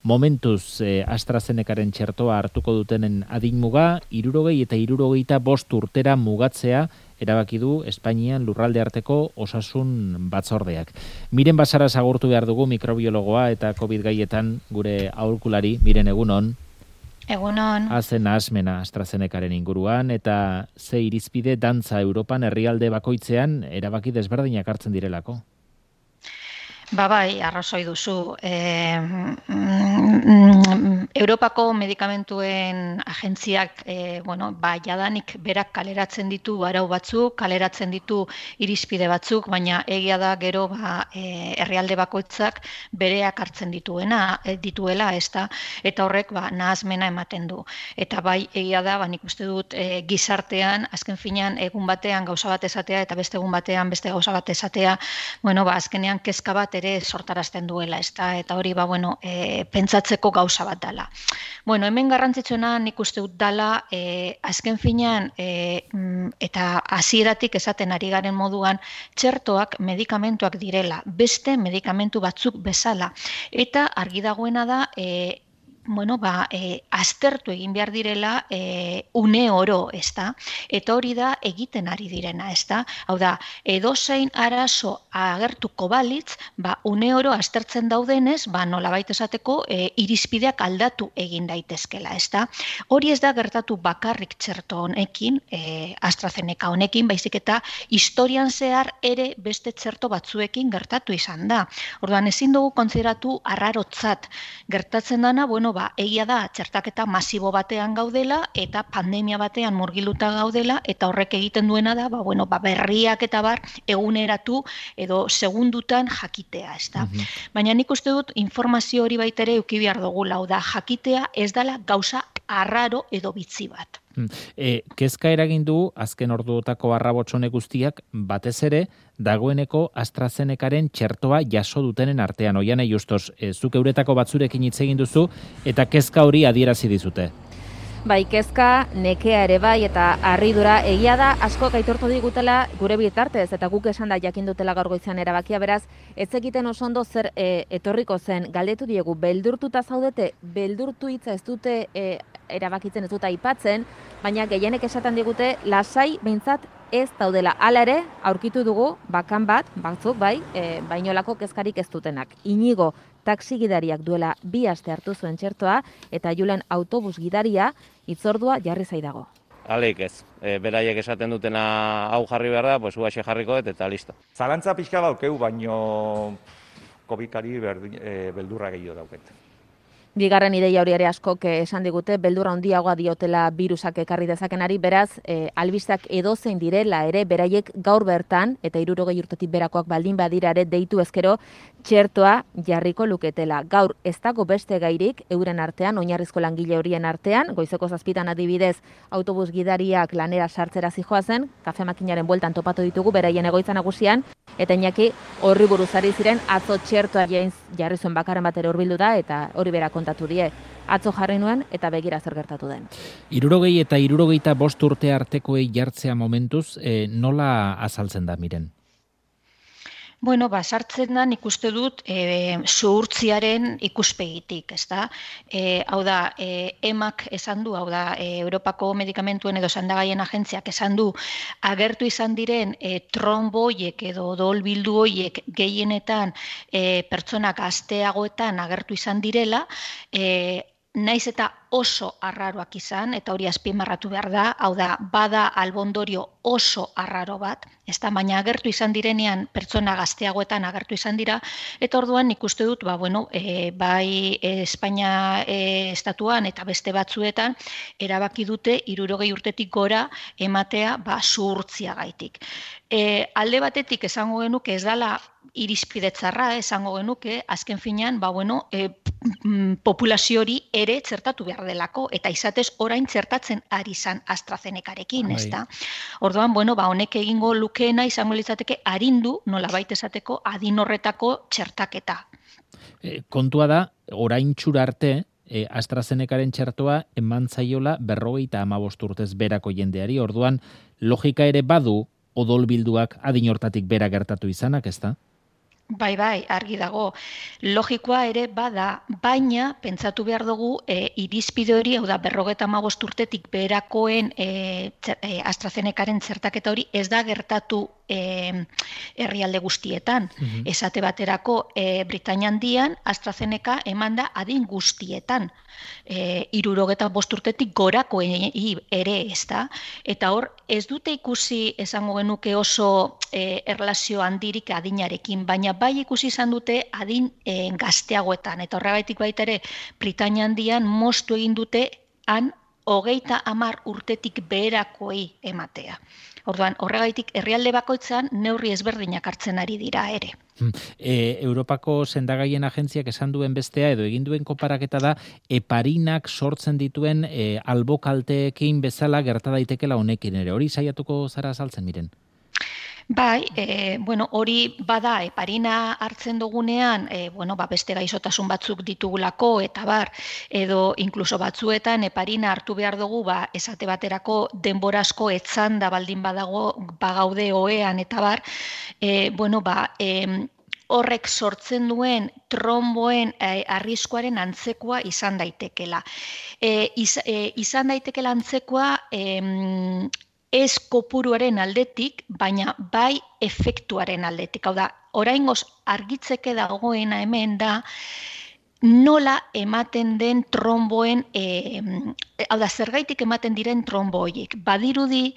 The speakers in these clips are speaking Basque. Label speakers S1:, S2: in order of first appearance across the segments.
S1: Momentuz AstraZenecaren txertoa hartuko dutenen adinmuga 60 eta 65 urtera mugatzea erabaki du Espainian lurralde arteko osasun batzordeak. Miren Basara agurtu behar dugu, mikrobiologoa eta COVID gaietan gure aholkulari. Miren, egunon.
S2: Egunon.
S1: Hazen asmena AstraZenecaren inguruan eta ze irizpide dantza Europan herrialde bakoitzean erabaki desberdinak hartzen direlako.
S2: Bai, arrazoi duzu. Europako medikamentuen agentziak, jadanik berak kaleratzen ditu arau batzuk, kaleratzen ditu irizpide batzuk, baina egia da gero herrialde bakoitzak bereak hartzen dituela, ezta, eta horrek nahasmena ematen du. Eta bai, egia da, nik uste dut gizartean, azken finean egun batean gauza bat esatea eta beste egun batean beste gauza bat esatea, azkenean kezka bat ere sortarazten duela, ezta, eta hori pentsatzeko gauza bat dela. Hemen garrantzitsuena nik uste dut dela, azken finean eta hasieratik esaten ari garen moduan, txertoak medikamentuak direla, beste medikamentu batzuk bezala, eta argi dagoena da, aztertu egin behar direla une oro, ezta? Eta hori da egiten ari direna, ezta? Hau da, edozein arazo agertuko balitz, une oro aztertzen daudenez, nolabait esateko irizpideak aldatu egin daitezkela, ezta? Hori ez da gertatu bakarrik txerto honekin, AstraZeneca honekin, baizik eta historian zehar ere beste txerto batzuekin gertatu izan da. Orduan, ezin dugu kontsideratu arrarotzat gertatzen dana, egia da, txertaketa masibo batean gaudela eta pandemia batean murgiluta gaudela eta horrek egiten duena da, berriak eta eguneratu edo segundutan jakitea, ezta. Baina nik uste dut informazio hori baitere eduki behar dugula, da jakitea ez dela gauza arraro edo bitzi bat.
S1: Kezka eragin du azken orduotako arrabotsone guztiak batez ere dagoeneko AstraZenecaren txertoa jaso dutenen artean. Oiane Justos, zuk euretako batzurekin hitz egin duzu eta kezka hori adierazi dizute.
S3: Bai, kezka, nekea ere bai eta harridura egia da askok aitortu digutela gure bitartez eta guk esan da jakin dutela gaur goizean erabakia, beraz ez egiten oso ondo zer etorriko zen. Galdetu diegu, beldurtuta zaudete, beldurtu hitza ez dute erabakitzen, ez dute aipatzen, baina gehienek esaten digute lasai behintzat ez daudela. Hala ere, aurkitu dugu bakan batzuk bai, bainolako kezkarik ez dutenak. Inigo taxi gidariak duela 2 aste hartu zuen txertoa eta Julen autobus gidaria hitzordua jarri zaidago.
S4: Aleik ez, beraiek esaten dutena hau jarri behar da, pues uaxe jarriko eta listo.
S5: Zalantza pixka daukeu, baino COVID-ari beldurra gehiago dauket.
S3: Bigarren ideia hori ere askok esan digute, beldurra handiagoa diotela birusak ekarri dezakenari, beraz, albisteak edozein direla ere, beraiek gaur bertan, eta 60 urtetik berakoak baldin badira ere deitu ezkero, txertoa jarriko luketela. Gaur ez dago beste gairik, euren artean, oinarrizko langile horien artean, goizeko 7 adibidez, autobus gidariak lanera sartzera zijoazen, kafe makinaren bueltan topatu ditugu, beraien egoitza nagusian, eta Iñaki horri buruzari ziren atzo txertoa jarri zuen bakarren batera hurbildu da, eta hori bera kontatu die. Atzo jarri nuen eta begira zer gertatu den.
S1: 60 eta 65 urte artekoei jartzea momentuz, nola azaltzen da, Miren?
S2: Sartzen da nik uste dut zuhurtziaren ikuspegitik, ezta? Hau da, EMAk esan du, hau da, Europako medikamentuen edo sendagaien agentziak esan du, agertu izan diren tromboiek edo odolbildu hoiek gehienetan pertsonak gazteagoetan agertu izan direla, naiz eta oso arraroak izan, eta hori azpimarratu behar da, hau da, bada albondorio oso arraro bat, baina agertu izan direnean pertsona gazteagoetan agertu izan dira, eta orduan nik uste dut, bai Espainia estatuan eta beste batzuetan, erabaki dute 60 urtetik gora ematea zuhurtziagaitik. Alde batetik esango genuke ez dela irizpide txarra, esango genuke, azken finean, populazio hori ere txertatu behar delako, eta izatez orain txertatzen ari zan AstraZenecarekin, ezta? Orduan, honek egingo lukeena izango litzateke arindu, nolabait esateko, adin horretako txertaketa.
S1: Kontua da, orain txura arte, AstraZenecaren txertoa eman zaiola 55 urtez berako jendeari, orduan logika ere badu odolbilduak adin hortatik bera gertatu izanak, ezta?
S2: Bai, argi dago. Logikoa ere bada, baina pentsatu behar dugu irizpide hori, hau da, 55 urtetik beherakoen AstraZenecaren txertaketa hori ez da gertatu herrialde guztietan. Esate baterako Britainia Handian AstraZeneca eman da adin guztietan. 65 urtetik gorako ere, ez da? Eta hor, ez dute ikusi esango genuke oso erlazio handirik adinarekin, baina bai ikusi izan dute adin gazteagoetan. Eta horregaitik baita ere, Britainia Handian moztu egin dute han 30 urtetik beherakoei ematea. Orduan, horregaitik herrialde bakoitzan neurri ezberdinak hartzen ari dira ere.
S1: Europako sendagaien agentziak esan duen bestea edo egin duen konparaketa da heparinak sortzen dituen albokalteekin bezala gerta daitekela honekin ere. Hori saiatuko zara azaltzen miren?
S2: Bai, hori bada heparina hartzen dugunean, beste gaixotasun batzuk ditugulako eta edo inkluso batzuetan heparina hartu behar dugu, esate baterako denbora asko etzanda baldin bagaude ohean eta horrek sortzen duen tromboen arriskuaren antzekoa izan daitekela. Izan daitekela antzekoa ez kopuruaren aldetik, baina bai efektuaren aldetik. Hau da, oraingoz argitzeke dagoena hemen da, nola ematen den tromboen, hau da, zergaitik ematen diren tromboiek. Badirudi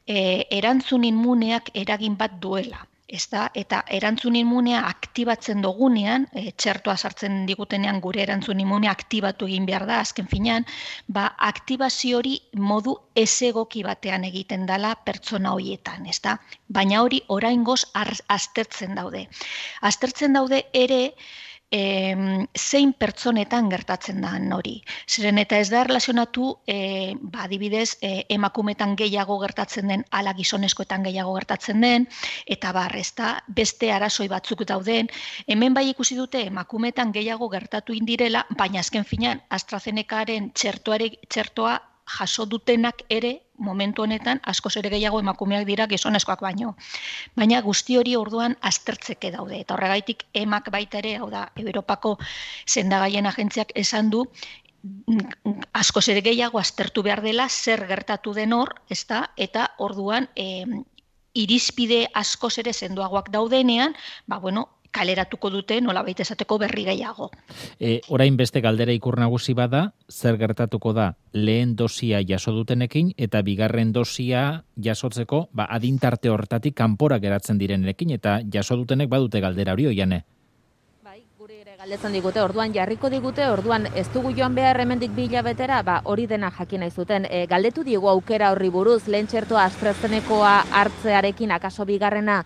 S2: erantzun immuneak eragin bat duela. Eta erantzun immunea aktibatzen dugunean, txertoa sartzen digutenean gure erantzun immunea aktibatu egin behar da, azken finean, aktibazio hori modu ezegoki batean egiten dela pertsona horietan, baina hori oraingoz aztertzen daude. Aztertzen daude ere, zein pertsonetan gertatzen da hori. Zeren eta ez da erlazionatu, adibidez, emakumetan gehiago gertatzen den, ala gizonezkoetan gehiago gertatzen den, eta beste arazoi batzuk dauden. Hemen bai ikusi dute emakumetan gehiago gertatu indirela, baina azken finean AstraZenecaren txertoa jaso dutenak ere, momentu honetan, askoz ere gehiago emakumeak dira gizonezkoak baino. Baina guzti hori orduan aztertzeke daude. Eta horregaitik emak baita ere, hau da, Europako sendagaien agentziak esan du, askoz ere gehiago aztertu behar dela zer gertatu den hor, eta orduan irizpide askoz ere sendoagoak daudenean, kaleratuko dute nolabait esateko berri gehiago.
S1: Orain beste galdera ikur nagusi bada, zer gertatuko da lehen dosia jaso dutenekin eta bigarren dosia jasotzeko adintarte hortatik kanpora geratzen direnekin eta jaso dutenek badute galdera hori Oiane.
S3: Bai, guri ere galdetzen digute, orduan jarriko digute, orduan ez dugu joan behar hemendik 2 hilabetera, hori dena jakin nahi zuten. Galdetu digu aukera horri buruz, lehen txertoa AstraZenecoa hartzearekin akaso bigarrena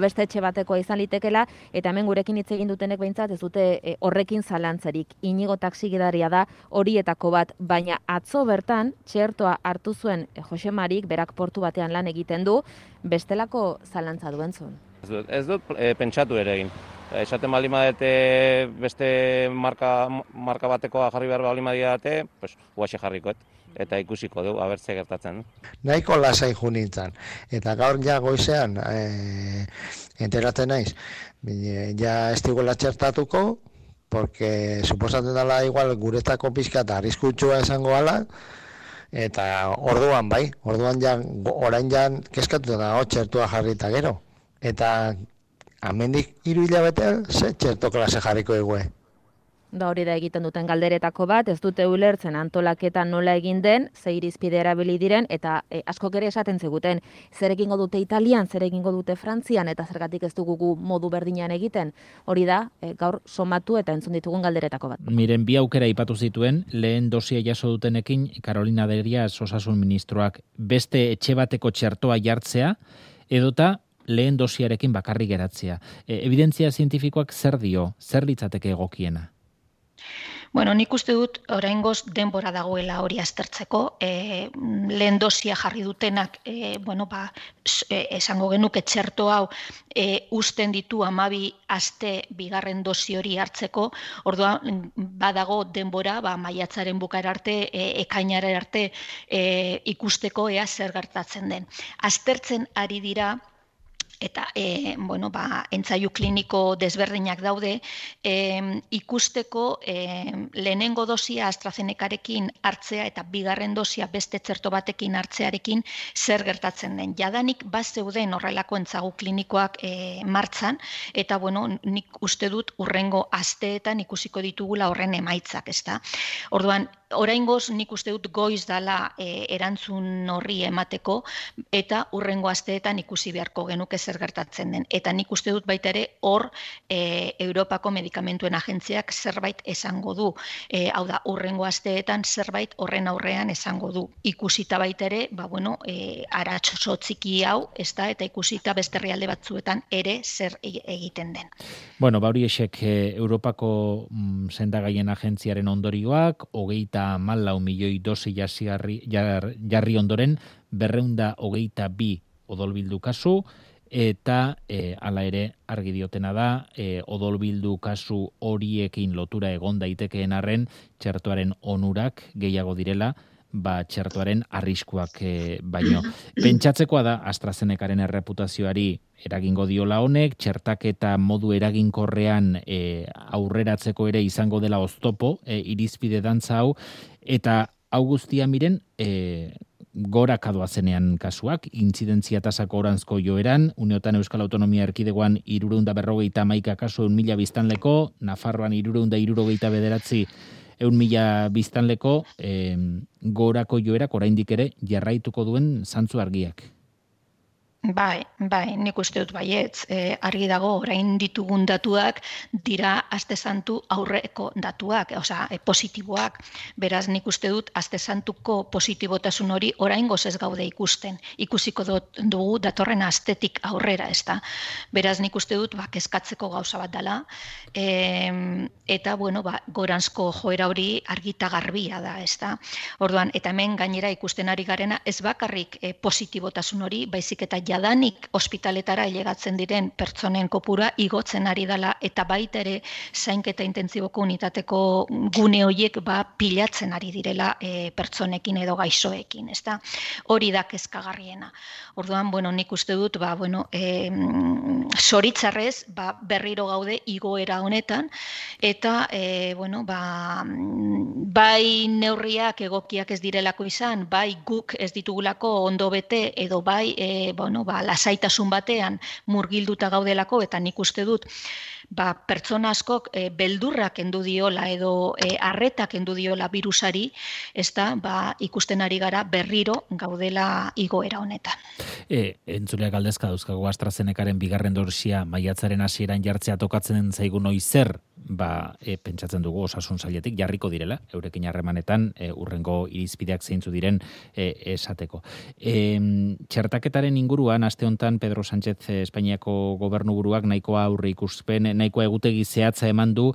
S3: beste etxe batekoa izan litekela, eta hemen gurekin hitz egin dutenek behintzat ez dute horrekin zalantzarik. Inigo taxigidaria da horietako bat, baina atzo bertan txertoa hartu zuen Jose Marik, berak portu batean lan egiten du, bestelako zalantza duen zuen.
S4: Ez dut pentsatu ere egin. Esaten baldin badete beste marka batekoa jarri behar baldin badidate, huaxe jarrikoet. Eta ikusiko du, abertze gertatzen.
S6: Nahiko lasai junintzen. Eta gaur ja goizean enteratzen naiz. Ja ez digula txertatuko, porque suposatzen dela igual guretako pixka eta arriskutsua esango ala, eta orduan bai, orain jan keskatu da txertua jarrita gero. Eta amendik 3 hilabetean ze txerto klase jarriko egue.
S3: Da hori da egiten duten galderetako bat, ez dute ulertzen antolaketa nola egin den, ze irizpide erabili diren, eta askok ere esaten ziguten, zer egingo dute Italian, zer egingo dute Frantzian, eta zergatik ez dugu modu berdinean egiten. Hori da, gaur somatu eta entzun ditugun galderetako bat.
S1: Miren, 2 aukera aipatu zituen, lehen dosia jaso dutenekin, Carolina Derias osasun ministroak beste etxe bateko txertoa jartzea, edota lehen dosiarekin bakarrik geratzea. Evidentzia zientifikoak zer dio, zer litzateke egokiena?
S2: Nik uste dut oraingoz denbora dagoela hori aztertzeko. Lehen dosia jarri dutenak, esango genuke txerto hau uzten ditu 12 aste bigarren dosi hori hartzeko. Orduan badago denbora, maiatzaren bukaera arte, ekainara arte ikusteko ea zer gertatzen den. Aztertzen ari dira eta entzaiu kliniko desberdinak daude, ikusteko lehenengo dosia AstraZenecarekin hartzea eta bigarren dosia beste txerto batekin hartzearekin zer gertatzen den. Jadanik bazeuden horrelako entzagu klinikoak martxan, eta nik uste dut hurrengo asteetan ikusiko ditugula horren emaitzak, ezta. Orduan, oraingoz nik uste dut goiz dala erantzun horri emateko, eta hurrengo asteetan ikusi beharko genuke zer gertatzen den. Eta nik uste dut baita ere hor Europako Medikamentuen Agentziak zerbait esango du. Hau da, hurrengo asteetan zerbait horren aurrean esango du. Ikusita baita ere, aratxo txiki hau, ezta, eta ikusita beste herrialde batzuetan ere zer egiten den.
S1: Bueno, horiexek Europako sendagaien agentziaren ondorioak, 34 milioi dosi jarri ondoren, 222 odolbildu kasu, eta hala ere argi diotena da, odolbildu kasu horiekin lotura egon daitekeen arren, txertoaren onurak gehiago direla, txertoaren arriskuak baino. Pentsatzekoa da AstraZenecaren erreputazioari eragingo diola honek, txertaketa modu eraginkorrean aurreratzeko ere izango dela oztopo, irizpide dantza hau, eta hau guztia miren, goraka doazenean kasuak, intzidentzia tasako oranzko joeran, uneotan Euskal Autonomia Erkidegoan 351 kasu 1.000 biztanleko, Nafarroan 369 1.000 biztanleko, gorako joerak oraindik ere jarraituko duen zantzu argiak.
S2: Bai, nik uste dut baietz. Argi dago, orain ditugun datuak dira aste santu aurreko datuak, positiboak. Beraz, nik uste dut aste santuko positibotasun hori oraingoz ez gaude ikusten. Ikusiko dugu datorren astetik aurrera, ezta. Beraz, nik uste dut kezkatzeko gauza bat dela, eta goranzko joera hori argita garbia da, ezta. Orduan, eta hemen gainera ikusten ari garena ez bakarrik positibotasun hori, baizik eta jadanik ospitaletara ailegatzen diren pertsonen kopura igotzen ari dela, eta baita ere zainketa intentsiboko unitateko gune horiek pilatzen ari direla pertsonekin edo gaixoekin, ezta? Hori da kezkagarriena. Orduan, nik uste dut, zoritzarrez, berriro gaude igoera honetan, eta, bai neurriak egokiak ez direlako izan, bai guk ez ditugulako ondo bete, edo bai, lasaitasun batean murgilduta gaudelako, eta nik uste dut pertsona askok beldurrak kendu diola edo arretak kendu diola virusari, ikusten ari gara berriro gaudela igoera honetan.
S1: Entzuleak galdezka dauzkagu AstraZenecaren bigarren dosia maiatzaren hasieran jartzea tokatzen zaigu noizer, pentsatzen dugu osasun sailetik jarriko direla, eurekin harremanetan hurrengo irizpideak zeintzu diren esateko. Txertaketaren inguruan, aste hontan Pedro Sánchez Espainiako gobernuburuak nahikoa aurre ikuspen, nahikoa egutegi zehatza eman du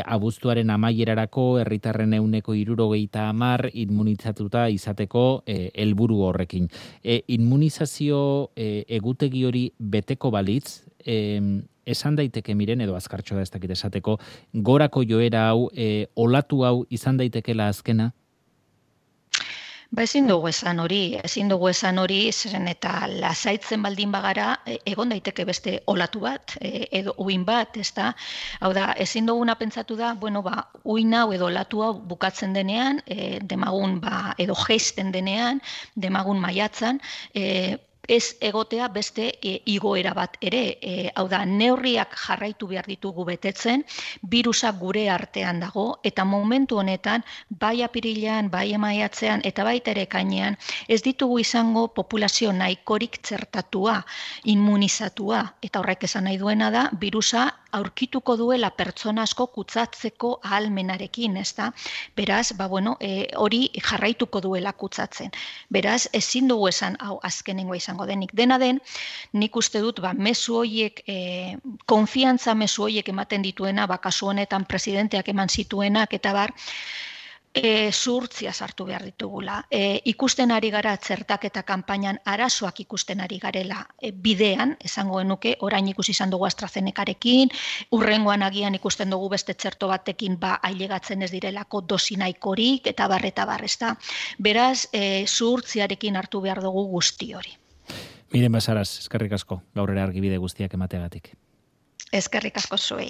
S1: abuztuaren amaierarako herritarren 70% immunizatuta izateko helburu horrekin. Immunizazio egutegi hori beteko balitz, esan daiteke miren, edo azkartxo da ez dakit esateko, gorako joera hau, olatu hau izan daitekela azkena?
S2: Ezin dugu esan hori, zeren eta lasaitzen baldin bagara, egon daiteke beste olatu bat, edo uin bat, ezta? Hau da, ezin duguna pentsatu da, uin hau edo olatu hau bukatzen denean, demagun edo jeisten denean, demagun maiatzan, ez egotea beste igoera bat ere. Hau da, neurriak jarraitu behar ditugu betetzen, birusa gure artean dago, eta momentu honetan, bai apirilean, bai maiatzean, eta baita ere ekainean, ez ditugu izango populazio nahikorik txertatua, immunizatua, eta horrek esan nahi duena da, birusa aurkituko duela pertsona asko kutsatzeko ahalmenarekin, ezta? Beraz, hori jarraituko duela kutsatzen. Beraz, ezin dugu esan hau azkenengoa izango denik. Dena den, nik uste dut, mezu horiek, konfiantza mezu horiek ematen dituena, kasu honetan presidenteak eman zituenak, eta zuhurtzia sartu behar ditugula. Ikusten ari gara txertaketa kanpainan arazoak ikusten ari garela bidean, esango genuke, orain ikusi izan dugu AstraZenecarekin, hurrengoan agian ikusten dugu beste txerto batekin ailegatzen ez direlako dosi nahikorik, eta bar, ezta. Beraz, zuhurtziarekin hartu behar dugu guzti hori.
S1: Miren Basaras, eskerrik asko, gaur ere argibide guztiak emateagatik.
S2: Eskerrik asko zuei.